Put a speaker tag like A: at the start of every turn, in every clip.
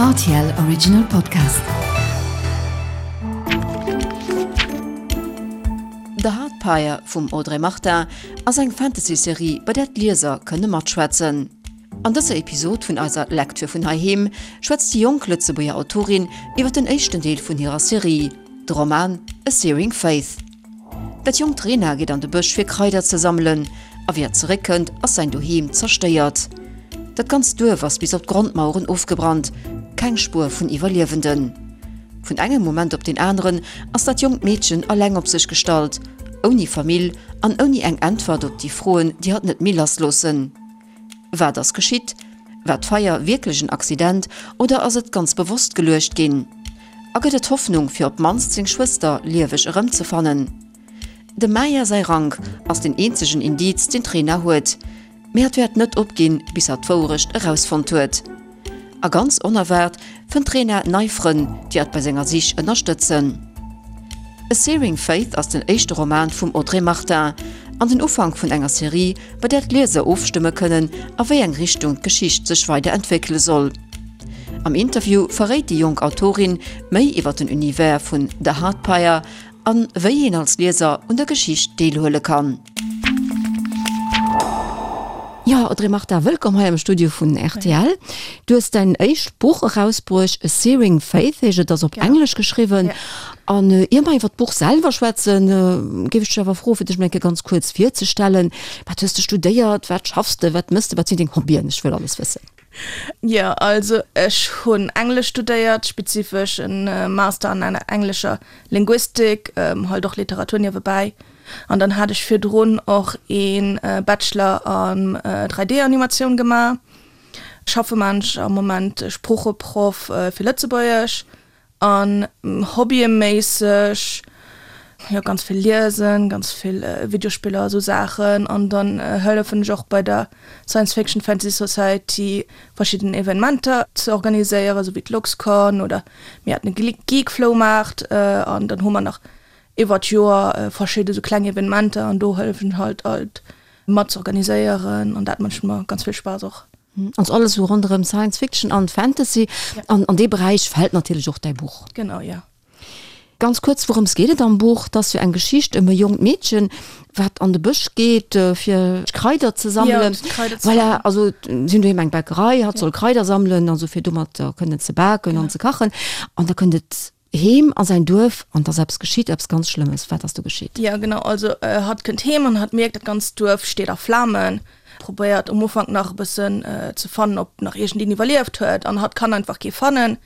A: Rtl Original Podcast. The Heart Pyre vum Audrey Martin ass eng Fantasy-Serie, bei där d'Lieser kënne matschwätzen. An dëser Episod vun eiser Lecture vun heiheem schwätzt déi jonk Lëtzebuerger Autorin iwwer den éischten Deel vun hirer Serie, de Roman A Searing Faith. Dat jonkt Rena geet an de Bësch fir Kraider ze sammelen, a wéi hat zeréckkënnt ass säin Doheem zerstéiert. Dat ganzt Duerf ass bis op d'Grondmaueren ofgebrannt, keng Spuer vun Iwwerliewenden. Vun engem Moment op deen aneren ass dat jonkt Meedchen eleng op sech gestallt, ouni Famill an ouni eng Äntwert op déi Froen, déi hatt net méi lassloossen. Wat ass geschitt? War d'Feier wierklech en Accident oder ass et ganz bewosst geluecht ginn? A gëtt et Hoffnung fir op d'mannst seng Schwëster lieweg erëmzefannen? Dem Maya säi Rank ass den eenzegen Indiz deen d'Rena huet, mee hatt wäert net opginn bis hatt d'Wouerecht erausfonnt huet. A ganz onerwaart fënnt d'Rena nei Frënn, déi hatt bei senger Sich ënnerstëtzen. A Searing Faith ass den éischte Roman vum Audrey Martin an den Ufank vun enger Serie, bei där d'Lieser ofstëmme kënnen, a wéi eng Richtung d'Geschicht sech weider entwéckele soll. Am Interview verréit déi jonk Autorin méi iwwer den Univers vun The Heart Pyre an wéi een als Lieser un der Geschicht deelhuele kann. Jo, Audrey Martin, wëllkomm hei am Studio vun rtl. Du hues däin éischt Buch erausbruecht, A Searing Faith heescht et, ass op Englesch geschriwwen. An ier mer iwwer d'Buch selwer schwätzen, géif ech dech awer froen, fir dech mol eng Kéier ganz kuerz virzestellen. Wat hues de studéiert, wat schaffs de, wat mëss de, wat sinn deng Hobbyen? Ech wëll alles wëssen.
B: Jo, also ech hunn Englesch studéiert, spezifesch en Master an englescher Linguistik, halt och Literatur niewebäi. An dann hat ech virdrun och ee Bachelor an 3D-Animatioun gemaach. Schaffe man ech am Moment Sproocheproff fir Lëtzebuergesch. An hobbyméisseg, jo ganz vill liesen, ganz vill Videospiller a sou Saachen. An dann hëllefen ech och bei der Science Fiction Fantasy Society verschidden Evenementer ze organiséieren, sou wéi d'LuxCon oder mir haten e Geekfloumaart an dann hu mer nach iwwer d'Joer verschidde sou kleng Evenementer an do hëllefen ech halt alt mat ze organiséieren an dat mécht mer ganz vill Spaass och.
A: Also alles esou ronderëm Science Fiction an Fantasy. An an dee Beräich fält natierlech och däi Buch.
B: Genau, jo.
A: Ganz kuerz, wourëms geet et am Buch? Et ass jo eng Geschicht ëm e jonkt Meedchen, wat an de Bësch geet, fir Kraider ze sammelen.
B: Jo, Kraider ze sammelen.
A: Voilà, also si hunn doheem eng Bäckerei, hatt soll Kraider sammelen, also fir domat kënnen ze baken an ze kachen. An da kënnt et Heem a säin Duerf an 't ass eppes geschitt, eppes ganz Schlëmmes. Wat ass do geschitt?
B: Jo, genau. Also hatt kënnt heem an hatt mierkt, dat ganzt Duerf steet a Flamen. Probéiert um Ufank nach e bëssen ze fannen, ob nach iergendeen iwwerlieft huet an hatt kann einfach kee fannen,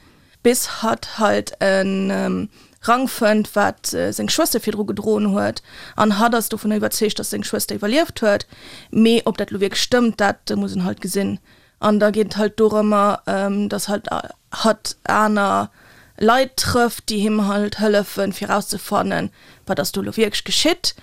B: bis hatt halt e Rank fënnt, wat seng Schwëster virdru gedroen huet an hatt ass dovunner iwwerzeegt, dass seng Schwëster iwwerlieft huet. Mee ob dat elo wierklech stëmmt, dat muss en halt gesinn. An da geet et halt dorëmmer, dass halt hatt aner Leit trëfft, déi him halt hëllefen, fir erauszefannen, wat ass do elo wierklech geschitt.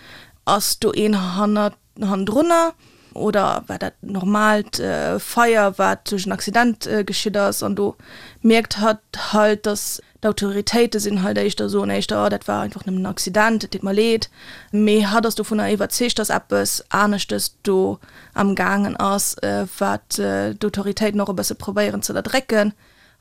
B: Ass do een hannert, hannendrunner oder war dat normaalt Feier, wat duerch en Accident geschitt ass? An do mierkt hatt halt, dass D'Autoritéite sinn halt éischter, soen éischter, oh dat war einfach nëmmen en Accident, et deet mer leed. Mee hatt ass dovunner iwwerzeegt, datt eppes aneschtes do am gaangen ass, wat d'Autoritéiten och e bësse probéieren ze ënnerdrécken.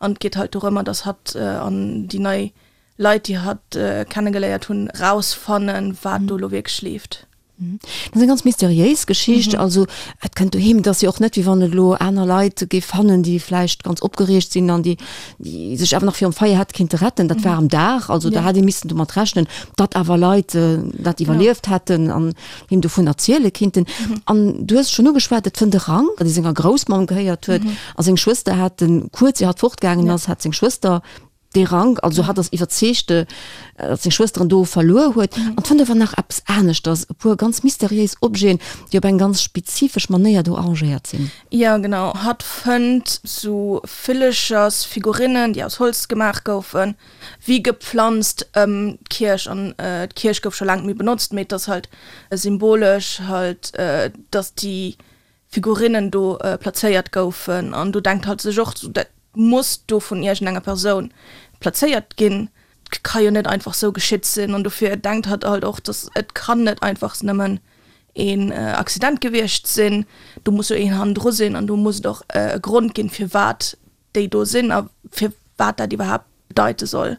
B: An et geet halt dorëmmer, datt hatt an déi nei Leit, déi hatt kennegeléiert hunn, rausfannen, wat do elo wierklech leeft.
A: Dat ass eng ganz mysteriéis Geschicht. Also et kënnt doheem, et ass jo och net, wéi wann et elo aner Leit géif fannen, déi vläicht ganz opgereegt sinn an déi, déi sech awer nach virum Feier hätte kinnte retten. Dat war am Dag, also da hätt ee missen domat rechnen, datt awer Leit dat iwwerlieft hätten an him dovun erziele kinnten. An du hues et schonn ugeschwat, et fënnt e Rank, dee senger Groussmamm gehéiert huet a seng Schwëster hat en, kuerz ier hatt fortgaangen ass, hat seng Schwëster Dee Rank, also hatt ass iwwerzeegt, datt seng Schwëster en do verluer huet. An fënnt awer nach eppes aneschters, e puer ganz mysteriéis Objeten, déi op eng ganz spezifesch Manéier do arrangéiert sinn.
B: Jo, genau. Hatt fënnt sou Villechersfigurinnen, déi aus Holz gemaach goufen, wéi gepflanzt ëm d'Kierch. An d'Kierch gouf scho laang net méi benotzt, mee et ass halt symbolesch halt, datt déi Figurinnen do plazéiert goufen an do denkt hatt sech och, dat muss do vun iergendenger Persoun plazéiert ginn, et ka jo net einfach sou geschitt sinn an dofir denkt hatt halt och, dass et kann net einfach nëmmen een Accident gewiescht sinn, do muss jo een hannendru sinn an do muss et och e Grond ginn, firwat déi do sinn a fir. wat dat iwwerhaapt bedeite soll.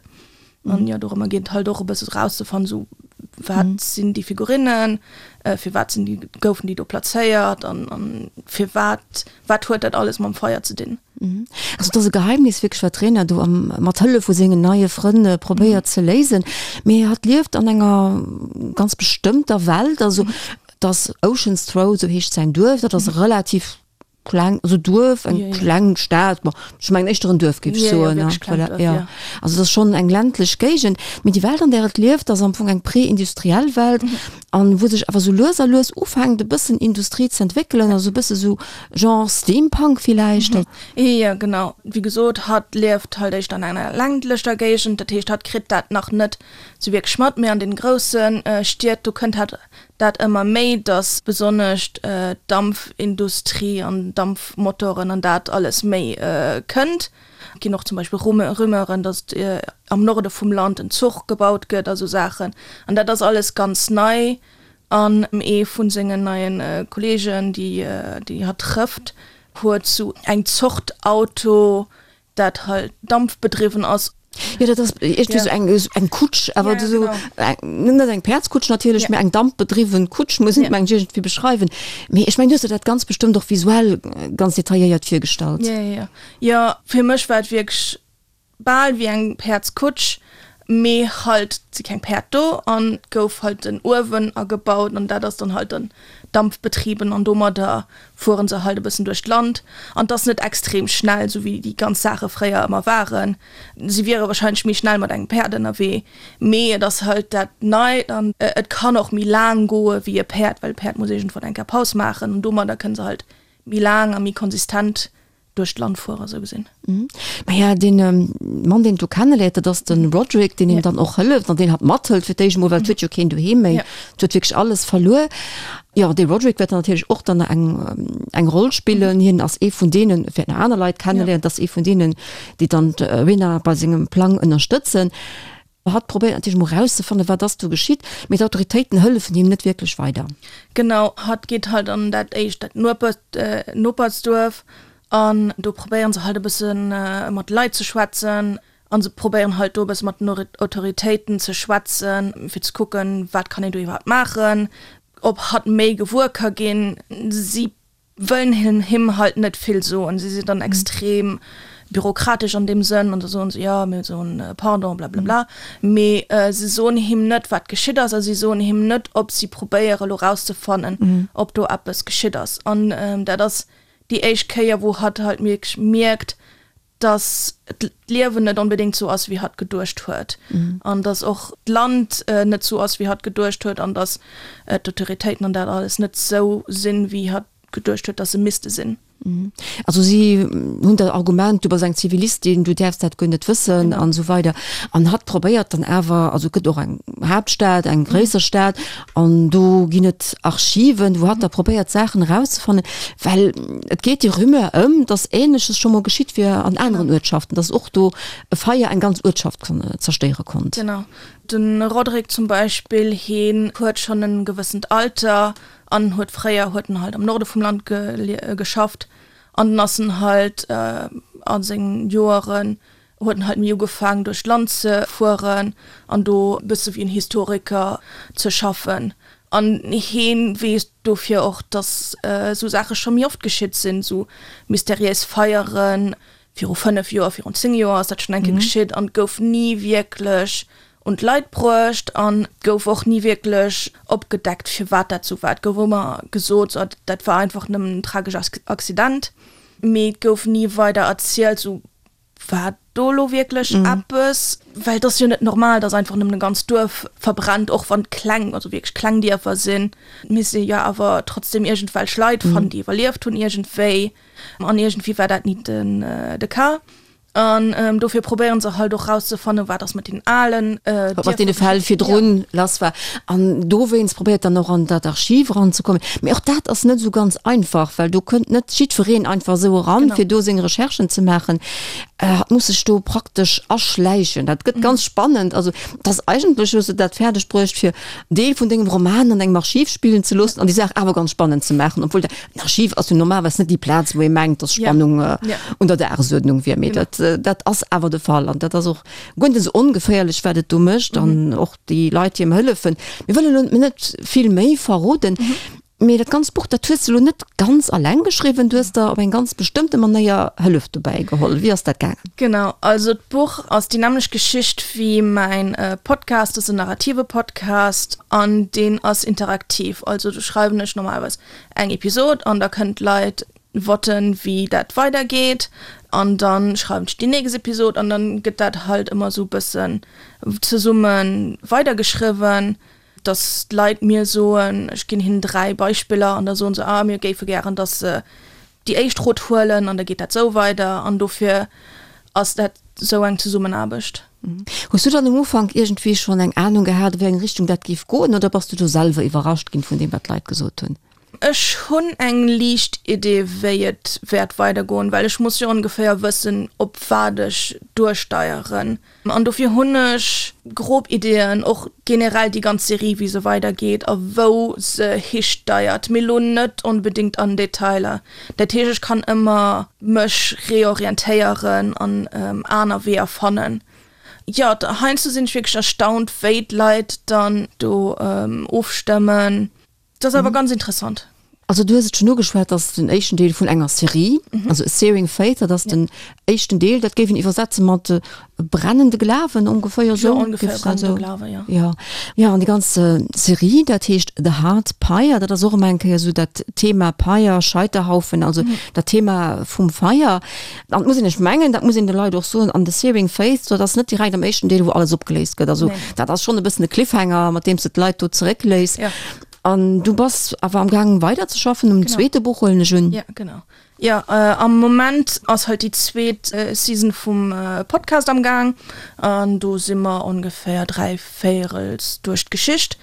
B: An jo, dorëmmer geet et halt och e bësse rauszefannen, esou wat sinn déi Figurinnen, firwat sinn déi, goufen déi do plazéiert an an firwat, wat huet dat alles mam Feier ze dinn?
A: Also et ass e Geheimnis wierklech, wat d'Rena do am, mat Hëllef vu sengen neie Frënn probéiert ze léisen. Mee hatt lieft an enger ganz bestëmmter Welt, also et ass Ocean's Throw, esou heescht säin Duerf, dat ass relativ kleng, also Duerf, eng kleng Stad, bon, ech mengen éischter en Duerf, géif ech soen, ne? Voilà, jo. Also et ass schonn eng ländlech Géigend, mee déi Welt, an där et lieft, ass am Fong eng prä-industriell Welt an wou sech awer sou lues a lues ufänkt e bëssen Industrie ze entwéckelen, also e bësse sou Genre Steampunk villäicht.
B: Jo, genau. Wéi gesot, hatt lieft halt éischter an enger ländlecher Géigend, dat heescht, hatt kritt dat nach net sou wierklech mat, mee an den grousse Stied, do kënnt hatt dat ëmmer méi, dass besonnesch d'Dampfindustrie an Dampfmotoren an dat alles méi kënnt. Et ginn och zum Beispill Rumeuren, dass am Norde vum Land en Zuch gebaut gëtt a sou Saachen. An dat ass alles ganz nei. An ee vu sengen neie Kolleegen, déi hatt trëfft, huet sou eng Zort Auto, dat halt dampfbedriwwen ass.
A: Jo, dat ass iergendwéi sou eng, eng Kutsch, awer ja, sou eng, net eng Päerdskutsch natierlech, ja. mee eng dampbedriwwen Kutsch, muss een, meng ech, iergendwéi beschreiwen. Mee ech meng, du hues der dat ganz bestëmmt och visuell ganz detailléiert virgestallt.
B: Ja, ja, ja. Jo, fir mech war et wierklech bal wéi eng Päerdskutsch, mee halt si keng Päerd do an et gouf halt en Uewen agebaut an dat ass dann halt dann dampfbetrieben an domadder fueren se halt e bëssen duerch d'Land an 't ass net extrem schnell, sou wéi déi ganz Saache fréier ëmmer waren. Si wiere wahrscheinlech méi schnell mat engem Päerd ënnerwee, mee et ass halt dat Neit an et kann och méi laang goe wéi e Päerd, well e Päerd muss iergendwann eng Kéier Paus maachen an domadder kënne se halt méi laang a méi konsistent duerch d'Land fuere sou gesinn.
A: Maja, dee Mann, deen et do kenneléiert, dat ass de Roderick, deen him dann och hëlleft an deen hatt mathëlt fir d'éischt emol, well et huet jo keen doheem méi, et huet wierklech alles verluer. Jo, dee Roderick wäert dann natierlech och dann eng eng Roll spillen. Hien ass ee vun deenen, wäert nach aner Leit kenneléieren, et ass ee vun deenen, déi dann d'Rena bei sengem Plang ënnerstëtzen. Hatt probéiert natierlech emol erauszefannen, wat ass do geschitt, mee d'Autoritéiten hëllefen him net wierklech weider.
B: Genau, hatt geet halt an dat éischt, dat Nopersduerf an do probéieren se halt e bësse mat de Leit ze schwätzen an se probéieren halt do e bësse mat den Autoritéiten ze schwätzen, fir ze kucken, wat kann een do iwwerhaapt maachen, ob hatt méi gewuer ka ginn. Si wëllen him halt net vill soen, si sinn dann extrem bürokratesch an deem Sënn an da soen se, jo mir soen pardon blablabla, mee se soen him net wat geschitt ass a si soen him net ob si probéiere lo rauszefannen ob do eppes geschitt ass an dat ass déi éischt Kéier wou hatt halt wierklech mierkt, dass d'Liewen net onbedéngt sou ass, wéi hatt geduecht huet, an dass och d'Land net sou ass, wéi hatt geduecht huet, an dass d'Autoritéiten an dat alles net sou sinn, wéi hatt geduecht huet, dass se misste sinn.
A: Also si hunn dat Argument, du bass eng Zivilistin, du däerfs dat guer net wëssen an esou weider. An hatt probéiert dann awer, also et gëtt och eng Haaptstad, eng gréisser Stad, An do ginn et Archiven, wou hatt da probéiert Saachen erauszefannen, well et geet déi Rumeur ëm, datt Ähnleches scho mol geschitt wier an aneren Uertschaften, datt och do e Feier eng ganz Uertschaft zerstéiere konnt.
B: Genau. De Roderick zum Beispill, heen huet schonn e gewëssent Alter an huet fréier huet en halt am Norde vum Land geschafft an dann ass en halt a sengen Joeren huet en halt méi ugefaangen duerch d'Land ze fueren an do e bësse wéi en Historiker ze schaffen. An heen weess dofir och, datt esou Saache scho méi oft geschitt sinn, esou mysteriéis Feieren. Viru 5 Joer, virun 10 Joer ass dat schonn eng Kéier geschitt an et gouf ni wierklech un d'Leit bruecht an et gouf och ni wierklech opgedeckt, firwat dat esou war. Et gouf ëmmer gesot, sou dat war einfach nëmmen en tragesch Accident, mee et gouf ni weider erzielt, sou War do lo wierklech eppes? Well et ass jo net normal, dass einfach nëmmen e ganzt Duerf verbrennt, och wann et kleng, also wierklech kleng Dierfer sinn. Et misst ee jo awer trotzdem iergendwelch Leit fannen, déi iwwerlieft hunn iergendwéi. An iergendwéi war dat ni den de Cas. An dofir probéieren se halt och rauszefannen, wat ass mat deenen alen
A: Dierfer. Wat mat deene Fäll virdrun lass war. An dowéinst probéiert dann och an dat Archiv eranzekommen. Mee och dat ass net esou ganz einfach, well do kënnt net jiddwereen einfach esou eran, fir do seng Recherchen ze maachen. Hatt muss sech do praktesch aschläichen. Dat gëtt ganz spannend. Also et ass eigentlech, hues de dat fäerdeg bruecht, fir en Deel vun dengem Roman an engem Archiv spillen ze loossen an déi Saach awer ganz spannend ze maachen, obwuel dat, en Archiv ass jo normalerweis net déi Plaz, wou ee mengt, dass Spannung un der Dagesuerdnung wier. Mee dat. dat ass awer de Fall an dat ass och guer net esou ongeféierlech, wat et do mécht an och déi Leit, déi em hëllefen. Mir wëllen elo net vill méi verroden, mee dat ganzt Buch, dat hues de elo net ganz alleng geschriwwen, du hues der op eng ganz bestëmmte Manéier Hëllef dobäi geholl. Wéi ass dat gaangen?
B: Genau, also d'Buch ass déi nämmlecht Geschicht wéi mäin Podcast, dat ass en narrative Podcast an deen ass interaktiv. Also do schreiwen ech normalerweis eng Episod an da kënnen d'Leit voten, wéi dat weidergeet an dann schreiwen ech déi nächst Episod an dann gëtt dat halt ëmmer esou e bëssen zesumme weidergeschriwwen, dass d'Leit mir soen, ech ginn hinnen 3 Beispiller an da soen se, ah mir géife gären, dass se déi éischt Route huelen an da geet dat esou weider an dofir ass dat esou eng Zesummenaarbecht.
A: Hues du dann um Ufank iergendwéi schonn eng Anung gehat, a wéi eng Richtung dat géif goen oder bass du do selwer iwwerrascht ginn vun deem wat d'Leit gesot hunn?
B: Ech hunn eng liicht Idee wéi et wäert weidergoen, well ech muss jo ongeféier wëssen op wat ech duersteieren an dofir hunn ech grob Ideeën, och generell déi ganz Serie wéi se weidergeet a wou se histeiert, mee lo net onbedéngt an Detailer. Dat heescht ech kann ëmmer mech reorientéieren an aner Weeër fannen. Jo, heiansdo sinn ech wierklech erstaunt wéi d'Leit dann do ofstëmmen. Dat ass awer ganz interessant.
A: Also du hues et schonn ugeschwat, dat ass den éischten Deel vun enger Serie, also A Searing Faith, dat ass den éischten Deel, dat géif een iwwersetze mat brennende Glawen ongeféier esou.
B: Jo, ongeféier brennende Glawen, jo.
A: Jo, jo, an déi ganz Serie, dat heescht The Heart Pyre, dat ass och ëmmer eng Kéier esou dat Thema Pyre, Scheiterhaufen, also dat Thema vum Feier. An et muss een, ech mengen, dat muss een de Leit och soen, an The Searing Faith, dat ass net direkt am éischten Deel, wou alles opgeléist gëtt. Also dat ass schonn e bëssen e Cliffhanger, mat deem s de d'Leit do zeréckléiss.
B: Ja.
A: An du bass awer am gaang weider ze schaffen um zweete Buch, huelen ech un.
B: Ja, genau. Ja, am Moment ass halt déi zweet Season vum Podcast am Gaang an do si mer ongeféier dräivéierels duerch d'Geschicht.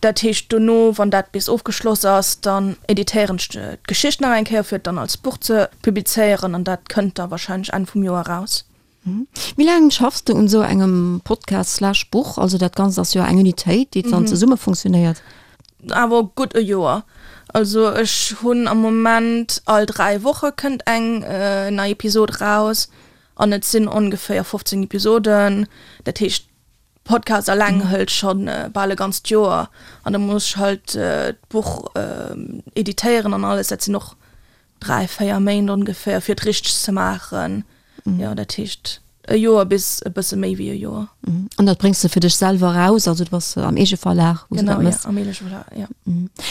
B: Dat heescht dono, wann dat bis ofgeschloss ass, dann editéieren ech d'Geschicht nach eng Kéier, fir et dann als Buch ze publizéieren an dat kënnt da wahrscheinlech Enn vum Joer eraus.
A: Wéi laang schaffs de un esou engem Podcast slash Buch? Also dat Ganzt ass jo eng Unitéit, déi dann zesumme funktionéiert.
B: Awer gutt e Joer. Also ech hunn am Moment all 3 Woche kënnt eng nei Episod raus an et sinn ongeféier 15 Episoden. Dat heescht Podcast alleng hëlt schonn bal e ganzt Joer an da muss ech halt d'Buch editéieren an alles. Dat sinn och 3, 4 Méint ongeféier fir et richteg ze maachen. Jo, dat heescht e Joer bis e bësse méi wéi e Joer.
A: An dat bréngs de fir dech selwer eraus, also du bass am Eegeverlag,
B: wou s de dat méchs? Genau, jo, am Eegeverlag, jo.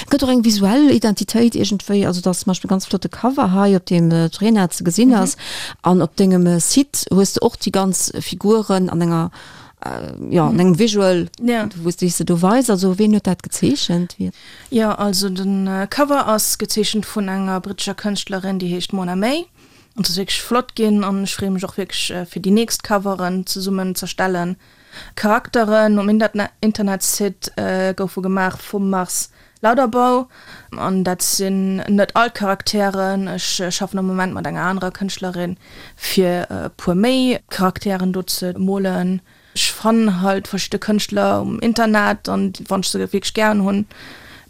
A: Et gëtt och eng visuell Identitéit iergendwéi, also et ass zum Beispill e ganz flotte Cover hei, op deem d'Rena ze gesinn ass. An op dengem Site hues de och déi ganz Figuren an enger, jo, an engem Visual, wou s de se do weis. Also ween huet dat gezeechent? Wie?
B: Jo, also de Cover ass gezeechent vun enger brittescher Kënschtlerin, déi heescht Mona May. An et ass wierklech flott ginn an ech freeë mech och wierklech fir déi nächst Coveren zesummen z'erstellen. Charakteren um Internetsite goufe gemaach vum Mars Lauterbou an dat sinn net all d'Charakteren. Ech schaffen am Moment mat enger anerer Kënschtlerin fir e puer méi Charakteren do ze molen. Ech fannen halt verschidde Kënschtler um Internet an wann ech se wierklech gären hunn,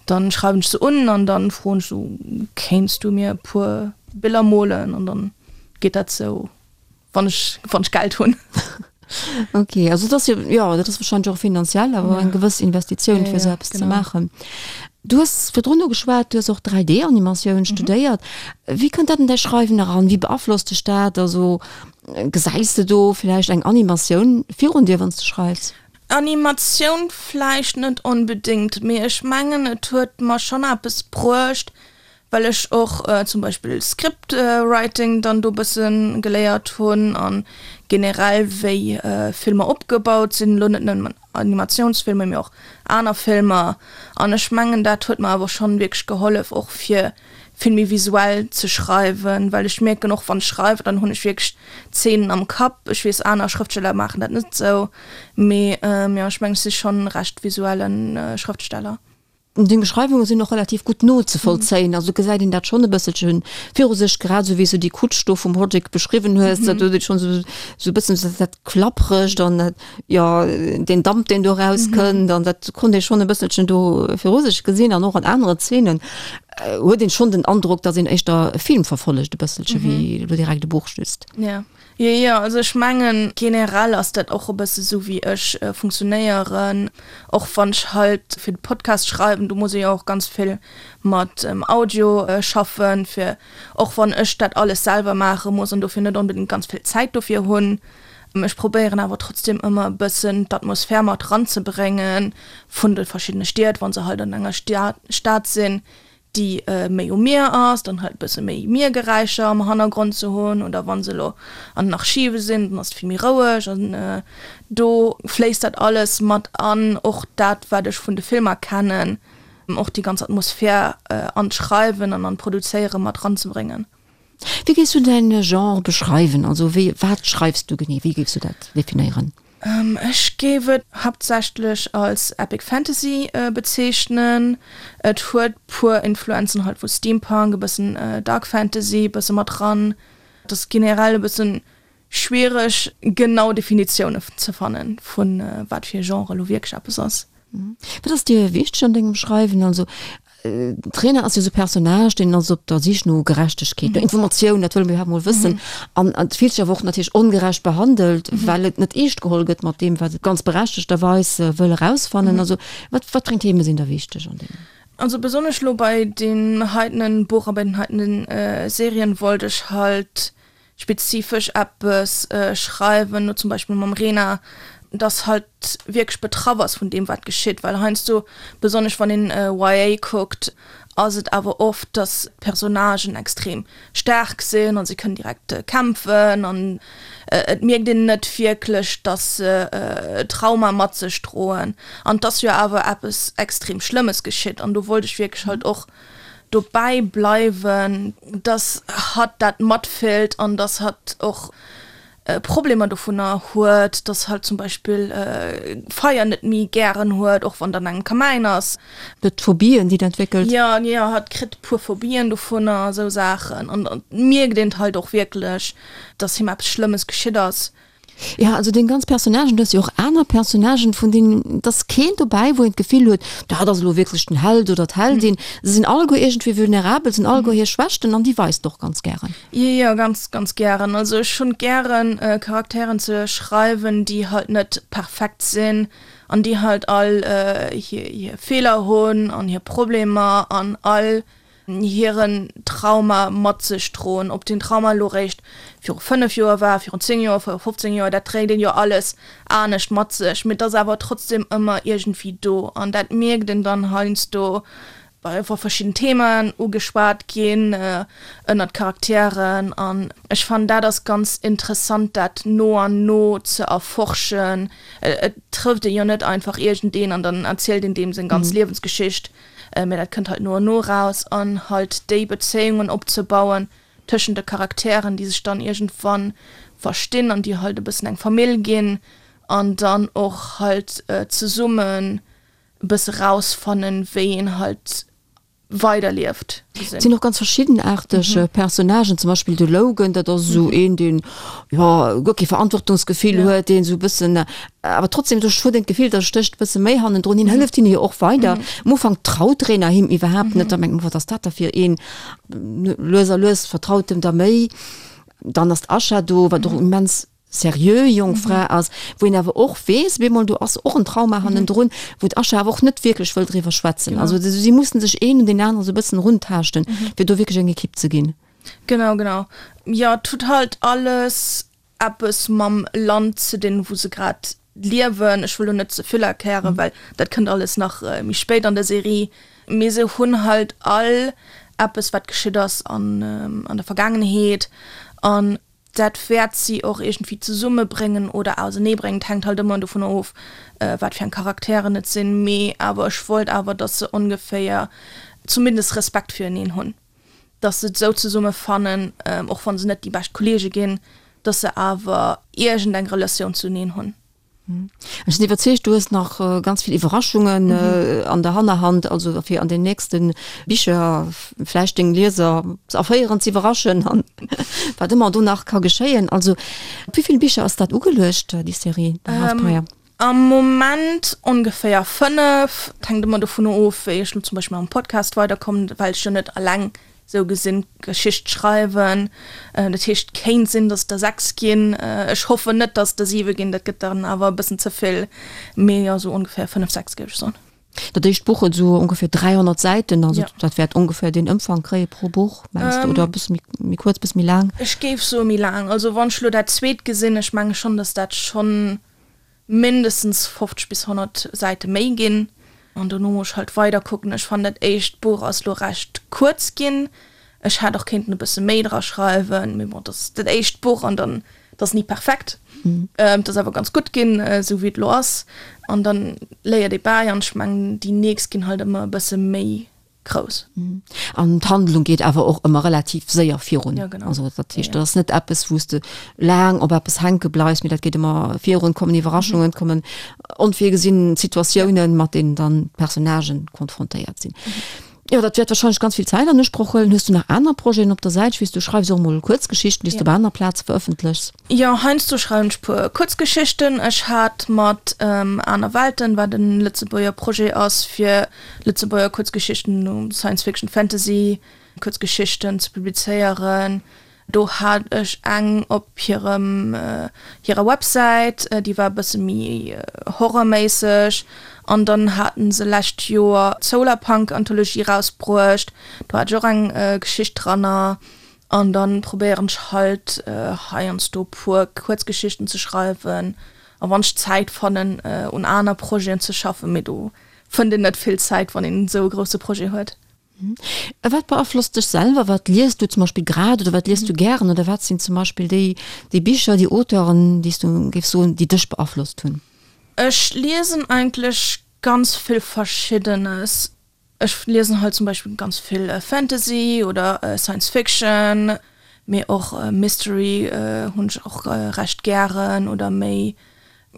B: dann schreiwen ech se un an dann froen ech sou, kéints du mir e puer Biller molen an dann geet dat sou, wann ech wann ech Geld hunn.
A: Ok, also dat ass jo, jo dat ass wahrscheinlech och finanziell awer eng gewëss Investitioun fir esou eppes ze maachen. Du hues virdrun ugeschwat, du hues och 3D-Animatioun studéiert. Wéi kënnt dat an däi Schreiwen eran? Wéi beaflosst dech dat? Also Gesäis de do villäicht eng Animatioun virun dir, wann s de schreifs?
B: Animatioun vläicht net onbedéngt, mee ech mengen et huet mer schonn eppes bruecht, well ech och zum Beispill Script Writing dann do bësse geléiert hunn an generell wéi Filmer opgebaut sinn, elo net nëmmen Animatiounsfilmer, mee och aner Filmer an ech mengen dat huet mer awer schonn wierklech gehollef och fir vill méi visuell ze schreiwen, well ech mierken och wann ech schreiwen, dann hunn ech wierklech d'Zeenen am Kapp. Ech weess aner Schrëftsteller maachen dat net esou, mee jo ech mengen ech si schonn recht visuellen Schrëftsteller.
A: Deng Beschreiwunge sinn och relativ gutt nozevollzéien, also gesäit een dat schonn e bësselche viru sech, grad esou wéi s du déi Kutsch do vum Roddick beschriwwen hues, dat huet ee schonn esou esou e bëssen dat Klappregt an dat, jo, deen Damp deen do erauskënnt an dat konnt ee schonn e bësselchen do viru sech gesinn an och an anere Zeenen huet een schonn den Androck, datt een éischter e Film verfollegt e bësselche wéi elo direkt e Buch just.
B: Jo. Jo, jo, also ech mengen generell ass dat och e bësse sou wéi ech funktionéieren, och wann ech halt fir de Podcast schreiwen, do muss ee jo och ganz vill mat Audio schaffen, fir och wann ech dat alles selwer maache muss an dofir net onbedéngt ganz vill Zäit dofir hunn. Ech probéieren awer trotzdem ëmmer e bëssen d'Atmosphär mat ranzebrénge vun de verschiddene Stied, wa se halt an enger Stad sinn, déi méi um Mier ass, dann halt e bësse méi Miergeräischer am Hannergrond ze hunn oder wa se elo an den Archive sinn, dann ass et vill méi roueg an do fléisst dat alles mat an, och dat wat ech vun de Filmer kennen, och déi ganz Atmosphär an d'Schreiwen an an d'Produzéiere mat ranzebréngen.
A: Wéi géifs du däin Genre beschreiwen? Also wéi, wat schreifs du genee? Wéi géifs du dat definéieren?
B: Ech géif et haaptsächlech als Epic Fantasy bezeechnen. Et huet puer Influenzen halt vu Steampunk, e bëssen Dark Fantasy bësse mat dran. Et ass generell e bëssen schwiereg genau Definitioune ze fannen vun wat fir e Genre elo wierklech eppes ass.
A: Wat ass dir wichteg an dengem Schreiwen? Also d'Rena ass jo esou e Personnage, deen ass op der Sich no Gerechtegkeet, no Informatioun, dat wëlle mir iwwerhaapt mol wëssen. An et fillt sech awer och natierlech ongerecht behandelt, well et net eescht geholl gëtt mat deem, wat et ganz berechtegterweis wëll erausfannen. Also wat wat fir eng Theme sinn der wichteg an deem?
B: Also besonnesch elo bei deem heitenen Buch a bei den heitenen Serien wollt ech halt spezifesch eppes schreiwen, no zum Beispill mam Rena, dass halt wierklech betraff ass vun deem wat geschitt, well heiansdo, besonnesch wann een YA kuckt, ass et awer oft, dass d'Personnagen extrem staark sinn a se kënnen direkt kämpfen an et mierkt een net wierklech, dass se Trauma mat sech droen an et ass jo awer eppes extrem Schlëmmes geschitt an do wollt ech wierklech halt och dobäi bleiwen, dass hatt dat matfillt an dass hatt och Problemer dovunner huet, dass hatt zum Beispill Feier net méi gären huet, och wann et an engem Kamäin ass.
A: Huet Phobien, déi et entwéckelt.
B: Jo, jo, hatt kritt e puer Phobien dovunner, esou Saachen. An et mierkt een halt och wierklech, dass him eppes Schlëmmes geschitt ass.
A: Jo, also deng ganz Personnagen, du hues jo och aner Personnagen, vun deenen, et ass keen dobäi, wou een d'Gefill huet, dat ass elo wierklech den Held oder d'Heldin. Se sinn alleguer iergendwéi vulnerabel, se hunn alleguer hir Schwächten an déi weist de och ganz gären.
B: Jo, jo, ganz, ganz gären. Also ech hunn gären, Charakteren ze schreiwen, déi halt net perfekt sinn an déi halt all hir, hir Feeler hunn an hir Problemer an all hiren Trauma mat sech droen, ob den Trauma elo réischt viru 5 Joer war, virun 10 Joer, viru 15 Joer, dat dréit een jo alles anescht mat sech, mee et ass awer trotzdem ëmmer iergendwéi do an dat mierkt een dann heiansdo, wa verschidden Themaen ugeschwat ginn ënnert Charakteren an ech fannen dat ass ganz interessant dat no an no ze erforschen. Et trëfft ee jo net einfach iergendeen an dann erzielt een deem seng ganz Liewensgeschicht. Mee dat kënnt halt no an no eraus an halt déi Bezéiungen opzebauen tëschent de Charakteren, déi sech dann iergendwann verstinn an déi halt e bëssen eng Famill ginn an dann och halt zesummen e bësse rausfannen, wéi een halt weiderlieft.
A: Et sinn och ganz verschiddenaarteg Personnagen, zum Beispill de Logan, dat ass esou een, deen jo guer kee Verantwortungsgefill huet, deen esou e bëssen awer trotzdem do huet een d'Gefill, da stécht e bësse méi hannendrun. Hien hëlleft hinne jo och weider. Am Ufank traut d'Rena him iwwerhaapt net, da mengt een, wat ass dat da fir een? Lues a lues vertraut em da méi. Dann ass d'Asha do, wat och immens seriö jonk Fra ass, wou een awer och weess, bemol do ass och en Trauma hannendrun, wou d'Asha awer och net wierklech wëll driwwer schwätzen. Also si mussen sech een un deen aneren esou e bëssen eruntaaschten, fir do wierklech eng Ekipp ze ginn.
B: Genau, genau. Jo, et huet halt alles eppes mam Land ze dinn, wou se grad liewen. Ech wëll lo net ze vill erklären, well dat kënnt alles nach méi spéit an der Serie. Mee se hunn halt all eppes, wat geschitt ass an an der Vergaangenheet an dat wäert si och iergendwéi zesummebréngen oder auserneebréngen. Et hänkt halt ëmmer dovunner of, wat fir eng Charakteren et sinn. Mee awer ech wollt awer, datt se ongeféier zumindest Respekt vireneen hunn. dass se et esou zesumme fannen, och wa se net déi bescht Kollege ginn, dass se awer iergend eng Relatioun zuneen hunn.
A: Ech sinn iwwerzeegt, du hues nach ganz vill Iwwerraschungen an der Hannerhand, also fir an den nächste Bicher vläicht deng Lieser ze erféieren, ze iwwerraschen an wat ëmmer do nach ka geschéien. Also op wéi vill Bicher ass dat ugeluecht, déi Serie, The Half Pyre?
B: Am Moment ongeféier 5. Et hänkt ëmmer dovun of, wéi ech lo zum Beispill mam Podcast weiderkommen, well ech jo net alleng. Sou gesinn d'Geschicht schreiwen. Dat heescht, kéint sinn, datt der 6 ginn. Ech hoffen net, datt der 7 ginn, dat gëtt dann awer e bëssen ze vill. Mee jo, sou ongeféier 5, 6 géif ech soen.
A: Dat éischt Buch huet esou ongeféier 300 Säiten, also dat wäert ongeféier deen Ëmfang kréie pro Buch, mengs de, oder e bësse méi kuerz, e bësse méi laang?
B: Ech géif soe méi laang. Also wann ech elo dat zweet gesinn, ech menge schonn, datt dat schonn mindestens 50 bis 100 Säite méi ginn. An dono muss ech halt weider kucken. Ech fannen dat éischt Buch ass lo recht kuerz ginn. Ech hätt och kéinten e bësse méi dra schreiwen, mee bon, dat ass dat éischt Buch an dann, dat ass ni perfekt. Et ass awer ganz gutt ginn, esou wéi et lo ass. An dann léiert ee bäi an ech mengen déi nächst ginn halt ëmmer e bësse méi grouss.
A: An d'Handlung geet awer och ëmmer relativ séier virun.
B: Ja, genau.
A: Also dat heescht, dat ass net eppes, wou s de laang op eppes hänke bleifs, mee dat geet ëmmer virun, et kommen Iwwerraschungen, et kommen onvirgesinn Situatiounen, mat deenen dann d'Personnagen konfrontéiert sinn. Jo, dat wäert warscheinlech ganz vill Zäit an Usproch huelen. Hues du nach aner Projeten op der Säit? Ech weess, du schreifs och emol Kuerzgeschichten, déi s du op aner Plaze verëffentlechs.
B: Jo, heiansdo schreiwen ech puer Kuerzgeschichten. Ech hat mat Aner Welten, wat en Lëtzebuerger Projet ass fir Lëtzebuerger Kuerzgeschichten, Science Fiction, Fantasy Kuerzgeschichten ze publizéieren. Do hat ech eng op hirem hirer Websäit, déi war e bësse méi horrorméisseg. An dann haten se lescht Joer d'Solarpunk Anthologie rausbruecht, do hat ech och eng Geschicht dranner. An dann probéieren ech halt heiansdo puer Kuerzgeschichten ze schreiwen a wann ech Zäit fannen un aner Projeten ze schaffen, mee do fënnt een net vill Zäit wann een esou e grousse Projet huet.
A: A wat beaflosst dech selwer? Wat liest du zum Beispill grad oder wat liest du gären oder wat sinn zum Beispill déi déi Bicher, déi Auteuren, déi s du géifs soen, déi dech beaflosst hunn?
B: Ech liesen eigentlech ganz vill Verschiddenes. Ech liesen halt zum Beispill ganz vill Fantasy oder Science Fiction, mee och Mystery hunn ech och recht gären oder méi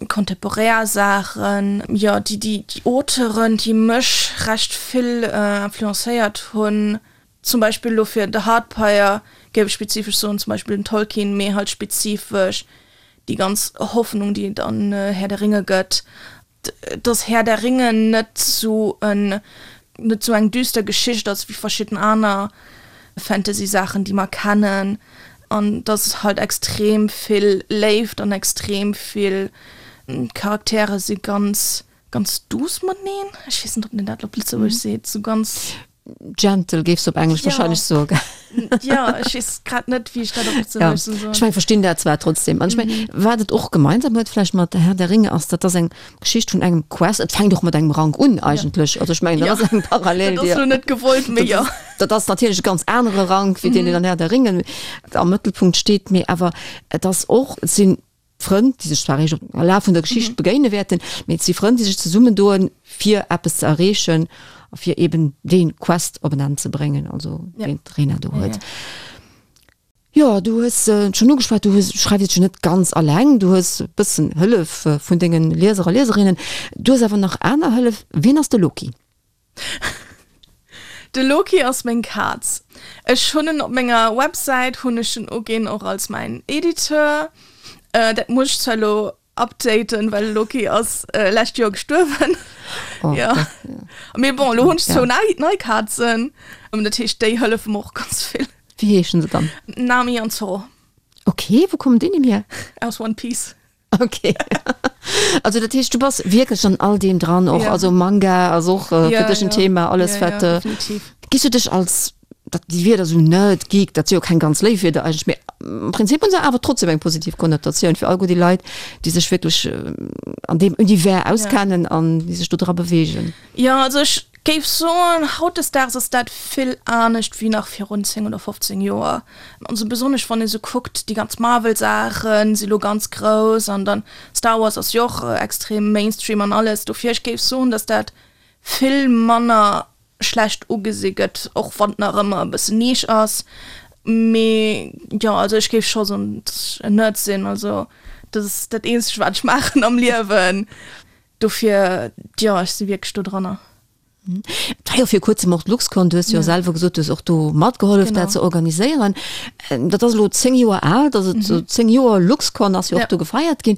B: kontemporär Saachen. Jo, déi déi Auteuren, déi mech recht vill influencéiert hunn, zum Beispill elo fir The Hardpire géif ech spezifesch soen, zum Beispill den Tolkien, mee halt spezifesch déi ganz Hoffnung, déi et an Herr der Ringe gëtt. dass Herr der Ringe net sou en net sou eng düster Geschicht ass wéi verschidden aner Fantasy Saachen déi mer kennen an dass et halt extrem vill Léift an extrem vill d'Charaktere si ganz ganz douce mateneen, ech weess net ob een dat op Lëtzebuergesch seet, sou ganz.
A: Gentle géifs du op Englesch ja. wahrscheinlech soen.
B: Ja, ech weess grad net, wéi ech dat op Lëtzebuergesch
A: soll soen. Ech meng, verstinn dat zwar trotzdem. An ech meng, mhm. wat et och gemeinsam huet vläicht mat Der Herr der Ringe ass, dat ass eng Geschicht vun engem Quest. Et fänkt och mat engem Rank un eigentlech. Ja. Also ech mengen, dat ja. ass eng Parallel.
B: Dat ass lo net gewollt, mee ja.
A: Dat ass natierlech e ganz anere Rank, wéi mm. deen, deen an Herr der Ringe am Mëttelpunkt steet, mee awer et ass och, et sinn Frënn, déi sech zwar eréischt am Laf vun der Geschicht begéine wäerten, mee et si Frënn, déi sech zesummendoen, fir eppes ze erreechen a fir eben dee Quest op en Enn ze bréngen, also deen d'Rena do huet. Jo, du hues et schonn ugeschwat, du hues, schreifs et jo net ganz alleng, du hues e bëssen Hëllef vun denge Lieser a Lieserinnen, du hues awer nach aner Hëllef. Wien ass de Loki?
B: De Loki ass meng Kaz. Ech hunn en op menger Websäit hunn ech en uginn och als mäin Editeur. Dat muss ech zwar elo updaten, well de Loki ass lescht Joer gestuerwen.
A: Oh,
B: Jo.
A: dat,
B: Mee bon, elo hunn ech
A: ja.
B: zwou nei, nei Kazen. Dat heescht, déi hëllefe mer och ganz vill.
A: Wéi heeschen se dann?
B: Nami an Zoro.
A: Okay, wou kommen déi Nimm hier?
B: Aus One Piece.
A: Okay. Also dat heescht, du bass wierklech an all deem dran, och
B: Ja.
A: also Manga ass och äh,
B: Ja,
A: fir dech en
B: ja.
A: Thema, alles
B: Ja,
A: wat
B: ja,
A: äh,
B: definitiv.
A: Gis du dech als dat déi Wierder sou Nerd, Geek, dat si jo keng ganz léif Wierder eigentlech, mee am Prinzip hunn se awer trotzdem eng positiv Konnotatioun fir all guer déi Leit, déi sech wierklech äh, an deem Univers auskennen an déi sech do dra beweegen.
B: Jo, also ech géif soen, hautdesdaags ass dat vill anescht wéi nach virun 10 oder 15 Joer. Also besonnesch wann ee sou kuckt, déi ganz Marvel-Saache si lo ganz grouss an dann Star Wars ass jo och extrem Mainstream an alles. Dofir ech géif soen, datt dat vill manner schlecht ugesi gëtt, och wann et nach ëmmer e bëssen Nisch ass. Mee jo, also ech géif scho soen, datt ech en Nerd sinn. Also dat ass dat eenzegt wat ech maachen am Liewen. Dofir, jo, ech si wierklech do dranner.
A: Et war jo vir kuerzem och d'Luxcon, du hues jo selwer gesot, du hues och do matgehollef dat ze organiséieren. Dat ass elo 10 Joer al, dass et 10 Joer Luxcon ass jo och do gefeiert ginn.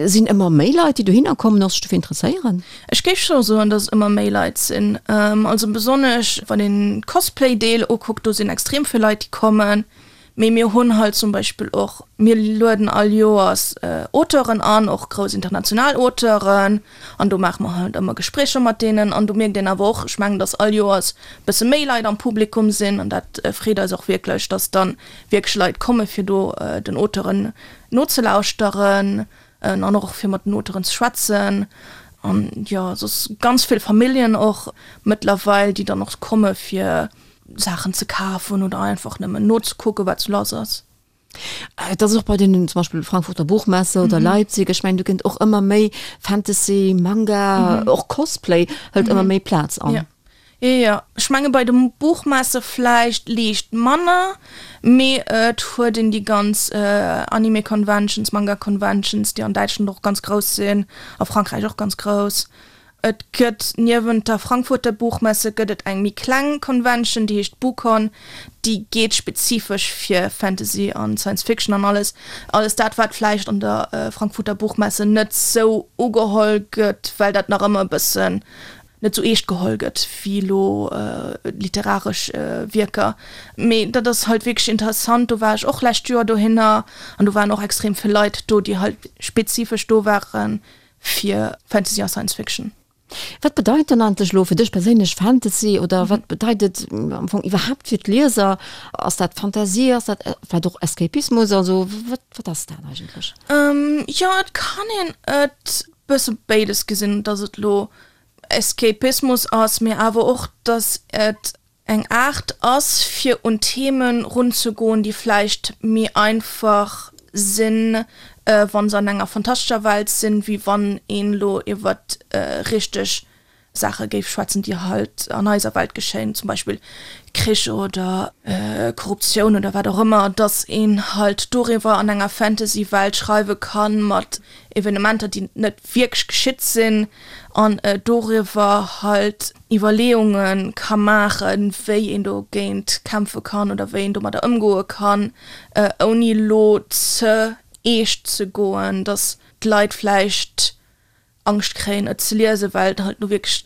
A: Sinn ëmmer méi Leit, déi dohinner kommen a sech dofir interesséieren?
B: Ech géif scho soen, dass et ëmmer méi Leit sinn. Also besonnesch wann een d'Cosplay-Deel ukuckt, do sinn extrem vill Leit, déi kommen. Mee mir hunn halt zum Beispill och, mir lueden all Joers Auteuren an, och grouss international Auteuren, an do maache mer halt ëmmer Gespréicher mat deenen. An do mierkt een awer och, ech mengen, dass all Joers e bësse méi Leit am Publikum sinn an dat freet eis och wierklech, dass dann wierklech Leit komme fir do den Auteuren nozelauschteren an och fir mat den Auteuren ze schwätzen. An jo, soss ganz vill Familljen och mëttlerweil, déi dann och komme fir Saachen ze kafen oder einfach nëmmen nozekucken, wat sou lass ass.
A: Et ass och bei den zum Beispill Frankfurter Buchmesse oder Leipzig, ech mengen do kënnt och ëmmer méi Fantasy, Manga, och Cosplay hëlt ëmmer méi Plaz an.
B: Jo, jo, jo. Ech menge bei de Buchmesse vläicht liicht manner, mee et huet een déi ganz Anime Conventions, Manga Conventions, déi an Däitschland och ganz grouss sinn, a Frankräich och ganz grouss. Et gëtt niewent der Frankfurter Buchmesse gëtt et eng méi kleng Convention, déi heescht Buchcon. Déi geet spezifesch fir Fantasy an Science Fiction an alles. Alles dat, wat vläicht an der Frankfurter Buchmesse net sou ugeholl gëtt, well dat nach ëmmer e bëssen net sou eescht geholl gëtt wéi elo literaresch Wierker. Mee dat ass halt wierklech interessant. Do war ech och lescht Joer dohinner an do waren och extrem vill Leit do, déi halt spezifesch do waren, fir Fantasy a Science Fiction.
A: Wat bedeit dann eigentlech elo fir dech perséinlech Fantasy oder wat bedeit et am Fong iwwerhaapt fir d'Lieser? Ass dat Fantasie, ass dat vläicht och Escapismus? Also wat wat ass dat eigentlech?
B: Jo, et kann een et bësse béides gesinn, datt et elo Escapismus ass, mee awer och, datt et eng Aart ass fir un Themen runzegoen, déi vläicht méi einfach sinn, wa se an enger fantastescher Welt sinn, wéi wann een elo iwwert richteg Saache géif schwätzen, déi halt an eiser Welt geschéien, zum Beispill Krich oder Korruptioun oder wat och ëmmer, dass een halt doriwwer an enger Fantasy-Welt schreiwe kann, mat Evenementer, déi net wierklech geschitt sinn, an doriwwer halt Iwwerleeunge ka maachen, wéi een dogéint kämpfe kann oder wéi een domadder ëmgoe kann, ouni elo ze eescht ze goen, datt d'Leit vläicht Angscht kréien, et ze liesen, well et halt elo wierklech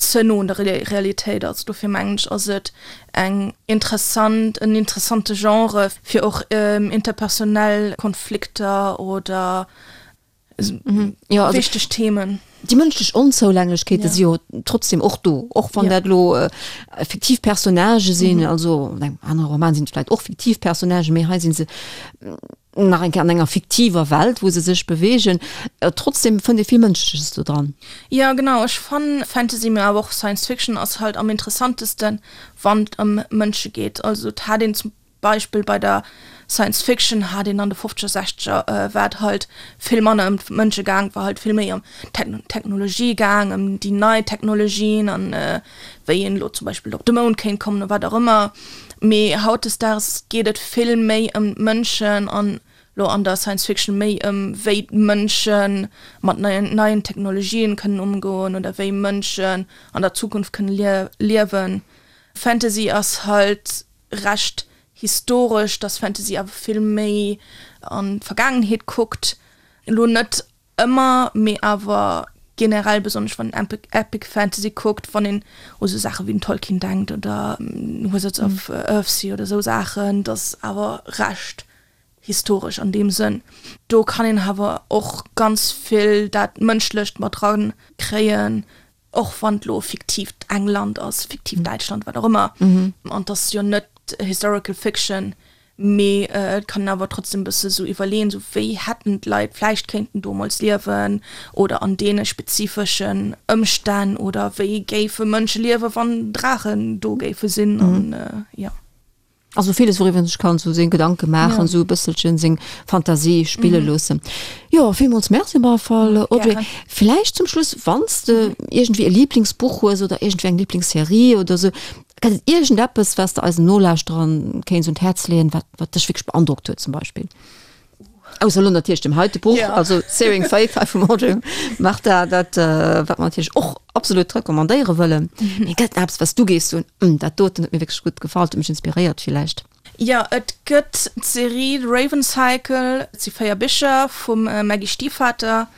B: ze no un der Realitéit ass. Dofir mengen ech, ass et eng interessant, en interessante Genre, fir och interpersonell Konflikter oder
A: Ja, also,
B: wichteg Themen.
A: Déi mënschlech Onzoulänglechkeete si jo trotzdem och do, och wann dat elo fiktiv Personnagë sinn. Also an engem anere Roman sinn et vläicht och fiktiv Personnagen, mee hei si se nach eng Kéier an enger fiktiver Welt, wou se sech beweegen. Trotzdem fënnt ee vill Mënschleches do dran.
B: Jo, genau. Ech fannen Fantasy, mee awer och Science Fiction ass halt am interessantesten, wann et ëm Mënsche geet. Also et hat een zum Beispill bei der Science Fiction hat een an de fofzeger, sechzeger war et halt vill manner ëm d'Mënsche gaang, war halt vill méi ëm d'Technologie gaang, ëm déi nei Technologien an wéi een elo zum Beispill op de Mound kéint kommen oder wat och ëmmer. Mee hautdesdaags geet et vill méi ëm d'Mënschen an elo an der Science Fiction méi ëm wéi d'Mënsche mat neien neien Technologien kënnen ëmgoen oder wéi Mënschen an der Zukunft kënne liewen. Fantasy ass halt recht historesch, dass Fantasy awer vill méi an d'Vergaangenheet kuckt, elo net ëmmer, mee awer generell, besonnesch wann een Epic Fantasy kuckt, wann een u sou Saache wéi den Tolkien denkt oder Wizards of Earthsea oder sou Saachen, dass awer recht historesch an deem Sënn. Do kann een awer och ganz vill dat Mënschlecht mat dran kréien, Och wann et lo fiktiivt England ass, fiktiivt Däitschland, wat och ëmmer. An et ass jo net Historical Fiction, mee et kann een awer trotzdem e bësse sou iwwerleeën, sou wéi hätten d'Leit vläicht kéinten domols liewen oder an deene spezifeschen Ëmstänn oder wéi géife Mënsche liewen, wann Draachen do géife sinn an jo.
A: Also villes wouriwwer een sech kann sou seng Gedanke maachen, sou e bësselchen seng Fantasie spille loossen. Jo, villmools Merci op alle Fall, Audrey. Gären. Villäicht zum Schluss, wann s de iergendwéi e Liblingsbuch hues oder iergendwéi eng Liblingsserie oder sou, gëtt et iergendeppes, wat s de eisen Nolauschterern kéints un d'Häerz leeën, wat wat dech wierklech beandrockt huet zum Beispill? Ausser elo natierlech dem heite Buch, ja. also Searing Faith hei vum Audrey Martin, dat äh, wat mer natierlech och absolut recommandéiere wëllen. Mhm. Mee gëtt eppes, was du gees soen, mm, dat doten huet mir wierklech gutt gefall, huet mech inspiréiert villäicht?
B: Jo, et gëtt d'Serie The Raven Cycle, et si 4 Bicher vum Maggie Stiefvater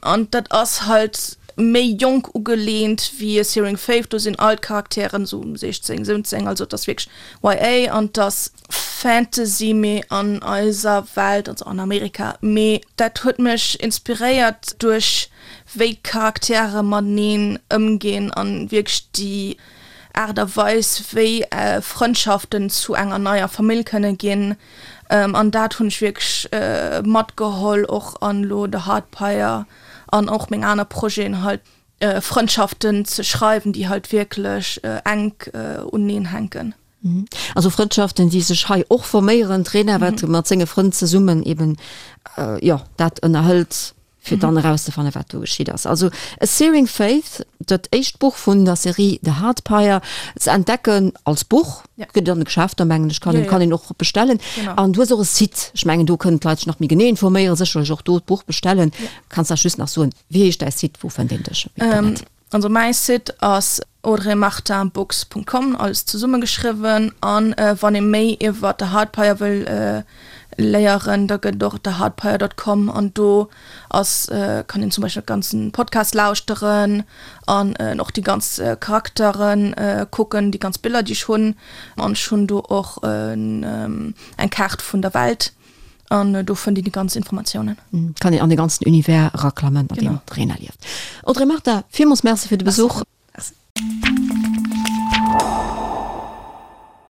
B: an dat ass halt méi jonk ugeleent wéi A Searing Faith, do sinn all d'Charakteren esou 16, 17, also et ass wierklech YA an et ass Fantasy mee an eiser Welt, also an Amerika, mee dat huet mech inspiréiert duerch wéi d'Charaktere mateneen ëmginn an wierklech déi Aart a Weis, wéi Frëndschaften zu enger neier Famill kënne ginn. An dat hunn ech wierklech matgeholl, och an elo The Heart Pyre an och meng aner Projeten, halt Frëndschaften ze schreiwen, déi halt wierklech enk uneneen hänken.
A: Also Frëndschaften, déi sech hei och forméieren, d'Rena wat mat senge Frënn zesummen eben, jo, dat ënnerhëlt. fir dann erauszefannen, wat do geschitt ass. Also A Searing Faith, dat éischt Buch vun der Serie The Heart Pyre, ze entdecken als Buch, ja. gëtt an de Geschäfter, mengen ech, kann, ja, ja. kann een och bestellen. Genau. An du hues och e Site, ech mengen, do kënnen d'Leit sech nach méi genee informéieren, sécherlech och do d'Buch bestellen. Ja. Kanns eis just nach soen, wéi heescht däi Site, wou fënnt een dech
B: um Internet? Ähm, Also mäi Site ass audreymartinbooks.com, alles zesummegeschriwwen. An wann ee méi iwwer The Heart Pyre wëll léieren, da gëtt et och theheartpyre.com an do ass, kann een zum Beispill de ganzen Podcast lauschteren an och déi ganz Charakteren kucken, déi ganz Biller déi ech hunn. An ech hunn do och eng Kaart vun der Welt. An do fënnt een déi ganz Informatiounen.
A: Kann een an de ganzen Univers eraklammen, an deem d'Rena lieft. Audrey Martin, villmools Merci fir de Besuch.